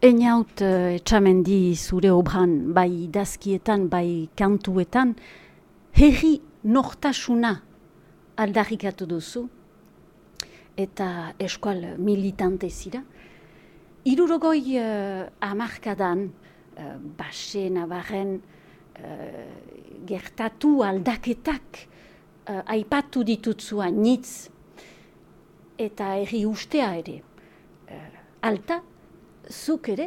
Einaut etxamendi zure obran, bai idazkietan, bai kantuetan, herri nortasuna aldarrikatu duzu, eta eskual militante zira. 60 hamarkadan, Baxe Navarren gertatu aldaketak aipatu ditutzua nitz, eta herri ustea ere. Alta, zuk ere,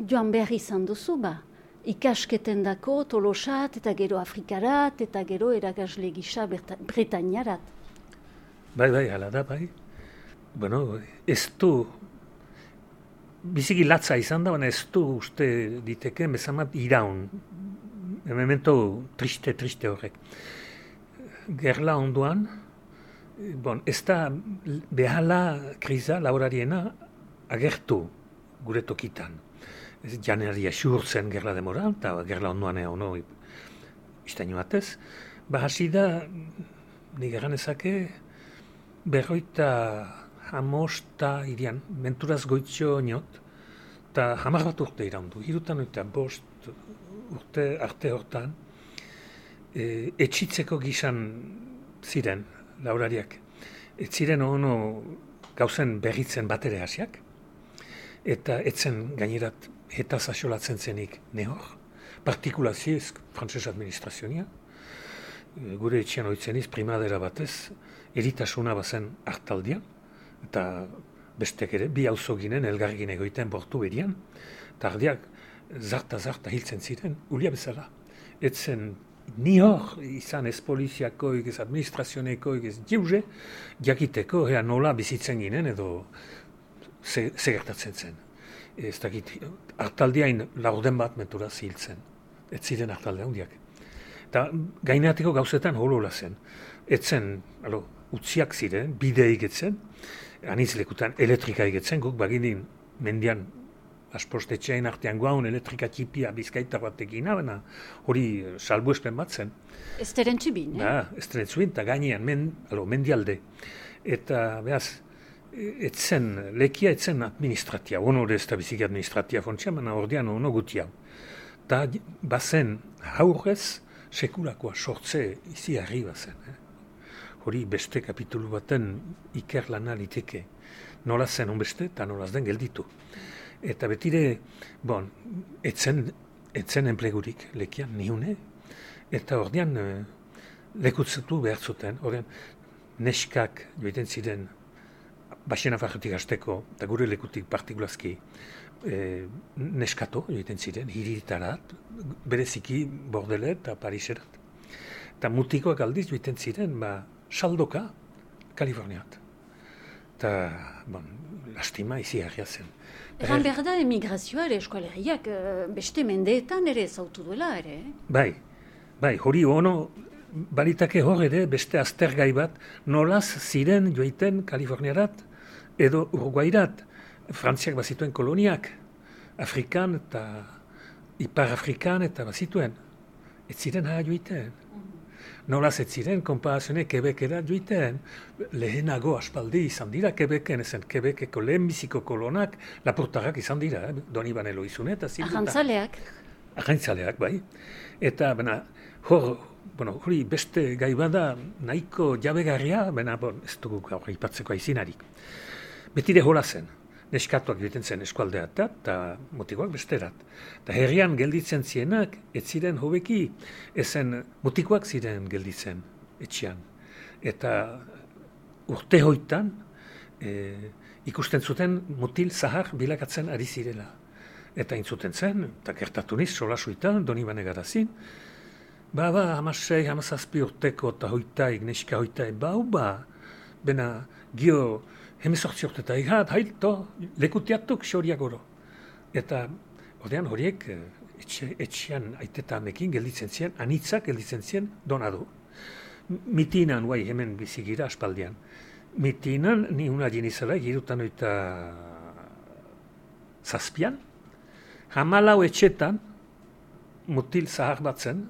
joan behar izan duzu, ikasketen dako Tolosat, eta gero Afrikarat, eta gero erakasle gisa Bretañarat. Bai, hala da, bai. Bueno, ez du, biziki latza izan da, baina ez du uste diteke, bezamat iraun. Memento triste horrek. Gerla onduan, ez da behala kriza laborariena agertu gure tokitan. Janearia xurtzen gerla demora, eta gerla onduan ono iztaino batez. Hasi da, nik egan ezake, 50 irian, menturaz goitzio niot, eta 10 bat urte iraundu. 75 urte arte hortan, etxitzeko gizan ziren laborariak. Ez ziren ono gauzen berritzen bat ere hasiak, eta etzen gainerat eta zasolatzen zenik nehor, partikulazioz frantses administrazionia, gure etxean oitzeniz primadera batez, eritasuna bazen hartaldia, eta bestek ere, bi auzo ginen elgargin egoiten bortu berian, eta ardiak zarta hiltzen ziren, ulia bezala. Etzen nihor izan ez poliziakoik, ez administrazionekoik, ez jeuze, jakiteko, nola bizitzen ginen edo segertatzen zen. Ez dakit, hartaldiain laurden bat mentura ziltzen. Ez ziren hartalde handiak. Eta gainatiko gauzetan holola zen. Etzen, utziak ziren, bide egitzen, anitz lekutan elektrika egitzen, guk baginin mendian aspostetxeain artean guaun elektrika txipia bizkaitar batekin, baina hori salbuespen bat zen. Ez teren txibin, Ez teren txibin, eta gainean mendialde. Eta, behaz, lekia etzen administratia, ono ez da biziki administratia fontxea, baina ordean ono gutia. Eta bazen haurrez sekulakoa sortze izi harri bazen. Hori beste kapitulu baten ikerlana liteke. Nola zen onbeste eta nolaz den gelditu. Eta betire, etzen enplegurik lekian nihune, eta ordean lekutzetu behar zuten, ordean neskak joiten ziren Baxe Navarretik hasteko, eta gure lekutik partikulazki neskato joiten ziren, hiritarat, bereziki Bordelet eta Pariserat. Eta mutikoak aldiz joiten ziren, saldoka, Kaliforniat. Eta, lastima izi harria zen. Egan behar da emigrazioa ere eskualeriak beste mendeetan ere zautu duela ere. Bai, hori ono balitake hor ere beste aztergai bat nolaz ziren joiten Kaliforniarat edo Uruguairat. Frantziak bazituen koloniak, Afrikan eta Ipar Afrikan eta bazituen. Ez ziren haa joiten. Nolaz ez ziren, konparazionek Quebecera joiten. Lehenago aspaldi izan dira Quebecen, ezen Quebeceko lehenbiziko kolonak lapurtarrak izan dira, Donibane Loizune eta zibuta. Arrantzaleak, bai. Eta, hori beste gai bada nahiko jabegarria, ez dugu gaur aipatzeko aizinarik. Betire hola zen, neskatuak joiten zen eskualdeat eta mutikoak besterat. Eta herrian gelditzen zienak, ez ziren hobeki, ezen mutikoak ziren gelditzen etxean. Eta urte hoitan ikusten zuten mutil zahar bilakatzen ari zirela. Eta intzuten zen, eta gertatu niz, solasuitan, Donibane garazin, 16 urteko eta hoitaik, neska hoitaik, bena gio 18 urtetai hat, hailto, lekutiatuk xoriak oro. Eta ordean horiek etxean aitetamekin gelditzen ziren, anitzak gelditzen ziren donadu. Mitinan, hemen bizigira aspaldian. Mitinan, ni una jinizela, girutan oita zazpian, 14 etxetan, mutil zahar bat zen,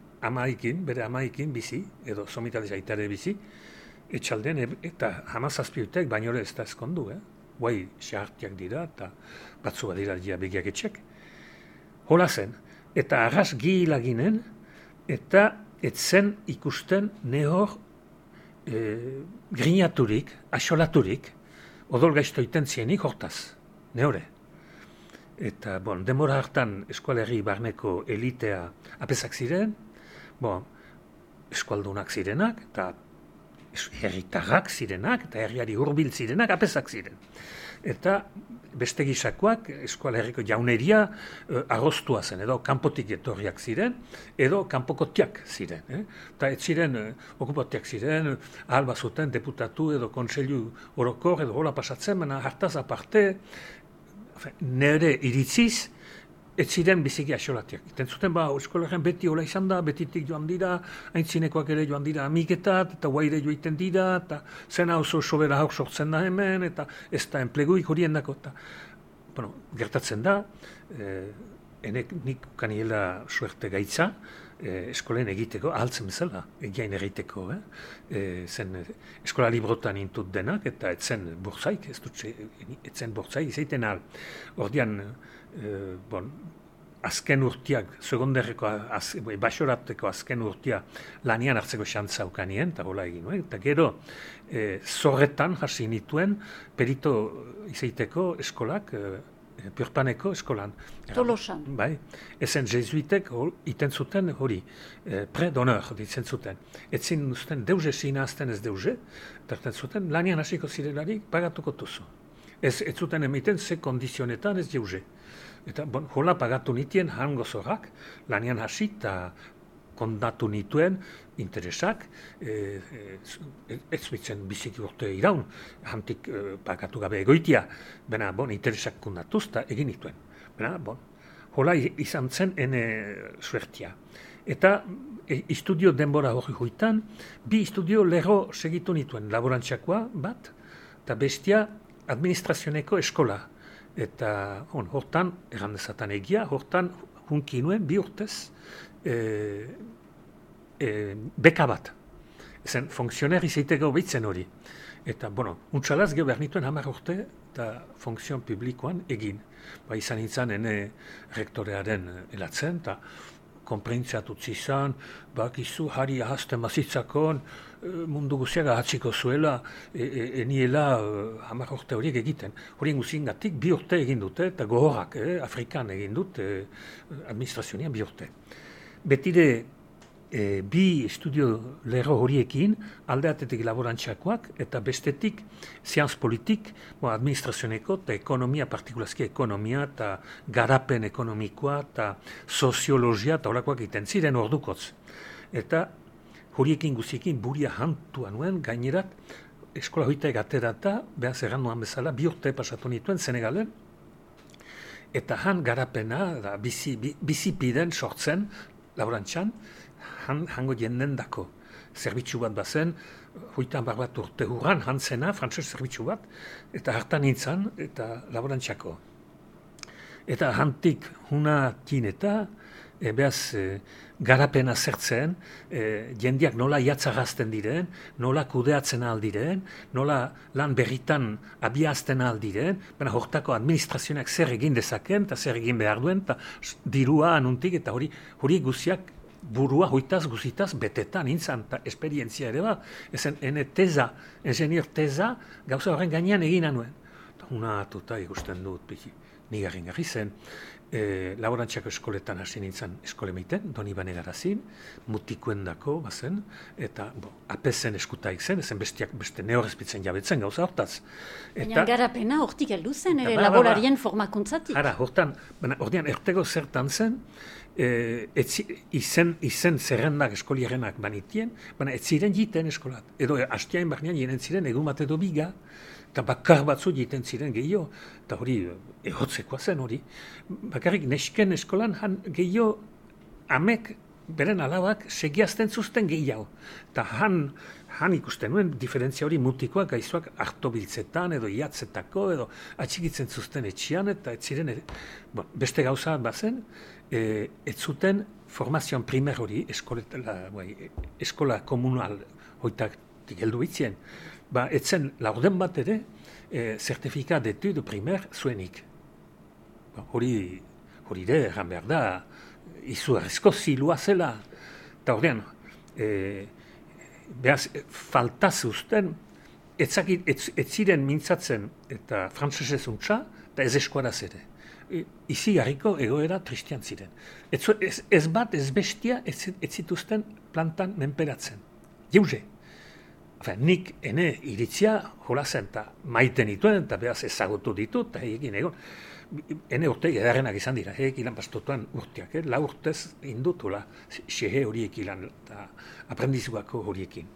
bere amaikin bizi, edo somitaliz aitare bizi, etxalden, eta 17 utek baino ez da eskondu, guai xahartiak dira, eta batzu badira dira begiak etxek. Hola zen, eta arras gihila ginen, eta etzen ikusten nehor grinaturik, asolaturik, odol gaizto iten zienik hortaz, nehore. Eta, denbora hartan eskualerri barneko elitea apesak ziren, eskualdunak zirenak, eta herritarrak zirenak, eta herriari hurbil zirenak apesak ziren. Eta beste gisakoak eskualerriko jauneria arrostua zen, edo kanpotik etorriak ziren, edo kanpokotiak ziren. Eta ez ziren okupotiak ziren, ahal bazuten deputatu edo kontseilu orokor edo hola pasatzen, baina hartaz aparte, nire iritziz, ez ziren biziki asolatiak. Iten zuten, eskolarren beti hola izan da, betitik joan dira, aintzinekoak ere joan dira amiketat, eta guaire joiten dira, eta zena oso sobera hau sortzen da hemen, eta ez da enpleguik horien dako. Gertatzen da, nik kaniela suerte gaitza, eskolen egiteko, ahaltzen bezala, egiain egiteko. Zen eskola librotan intut denak, eta etzen bortzaik, etzen bortzaik, izaiten ahal. Ordian, azken urtiak, segonderreko, baxorateko azken urtia lanian hartzeko xantza ukanien, eta hola egin, eta gero zorretan hasi nituen perito izaiteko eskolak, Purpaneko eskolan. Tolosan. Bai, ezen jesuitek iten zuten hori, pre d'honneur ditzen zuten. Etzin zuten deuze sinazten ez deuze, eta zuten lanian hasiko zirelarik pagatuko tuzu. Ez zuten emiten ze kondizionetan ez deuze. Eta hola pagatu nitien hango zorrak, lanian hasi eta kondatu nituen interesak, ez bitzen biziki urte iraun, hantik pagatu gabe egoitia, bena interesak kundatuz eta egin nituen. Hola izan zen ene suertia. Eta istudio denbora hori hoitan, bi istudio lerro segitu nituen, laborantzakoa bat, eta bestia administrazioneko eskola. Eta hortan, errandezatan egia, hortan hunki nuen bi urtez, beka bat. Ezen, funksioner izaiteko behitzen hori. Eta, untxalaz geho behar nituen 10 urte eta funkzion publikoan egin. Izan nintzen, ene rektorearen elatzen, eta konprentziat utzi izan, bakizu, hari ahazten mazitzakon, mundu guziak ahatziko zuela, eniela 10 urte horiek egiten. Horien guzien gatik, 2 urte egin dute, eta gohorak, Afrikan egin dut, administrazionean 2 urte. Betire, bi estudio lerro horiekin, aldeatetik laborantzakoak, eta bestetik zianz politik, administrazioneko eta ekonomia, partikulazki ekonomia, eta garapen ekonomikoa, eta soziologia, eta horakoak egiten ziren ordukotz. Eta horiekin guziekin buria hantua nuen, gainerat, eskola hoitaik aterata, behaz erran nuan bezala, 2 urte pasatu nituen Senegalen, eta han garapena, bizipiden sortzen, laborantzan, hango jenden dako. Zerbitzu bat bazen, 80 urte hurran, hantzena, frantses zerbitzu bat, eta hartan nintzen, eta laborantzako. Eta hantik hunakin eta, garapena zertzen, jendiak nola jatzagazten diren, nola kudeatzen aldiren, nola lan berritan abiazten aldiren, baina hortako administrazioak zer egin dezaken, eta zer egin behar duen, eta dirua anuntik, eta hori guziak burua hoitaz guzitaz betetan nintzen, eta esperientzia ere ba, ezen ene teza, ingenier teza, gauza horren gainean egin anuen. Eta una atuta ikusten dut, nigarren garri zen, laborantzako eskoletan hasi nintzen eskolemeiten, doni banegarazin, mutikuen dako bazen, eta apezen eskutaik zen, ezen beste neorrezpitzen jabetzen gauza hortaz. Baina garapena hortik heldu zen, ere laborarien formakuntzatik. Hara, hortan, ordean ertego zertan zen, izen zerrendak eskolierenak banitien, baina ez ziren jiten eskolat. Edo hastiain barnean jenen ziren egun bat edo biga, eta bakar batzu jiten ziren gehiago, eta hori ehotzekoa zen hori. Bakarrik nesken eskolan gehiago amek beren alabak segiazten zuzten gehiago. Eta han ikusten nuen diferentzia hori mutikoak gaizuak hartobiltzetan edo iatzetako edo atxikitzen zuzten etxian, eta ez ziren beste gauza bazen, ez zuten formazioan primer hori eskola komunal hoitak heldu bitzien. Etzen laurden bat ere, certifikat d'études primaire zuenik. Hori de, erran behar da, izugarrizko zilua zela. Eta ordean, behaz, falta zeusten, ez ziren mintzatzen eta frantsesez untsa, eta ez eskuaraz ere. Izi garriko egoera tristian ziren. Ez bat, ez bestia, ez zituzten plantan menperatzen. Jeuze. Nik ene iritzia jola zen, eta maiten dituen, eta behaz ezagutu ditut, eta egin egon. Ene urte edarrenak izan dira, ilan pastotuan urteak, la urtez indutula, xehe horiek ilan, eta aprendizugako horiekin.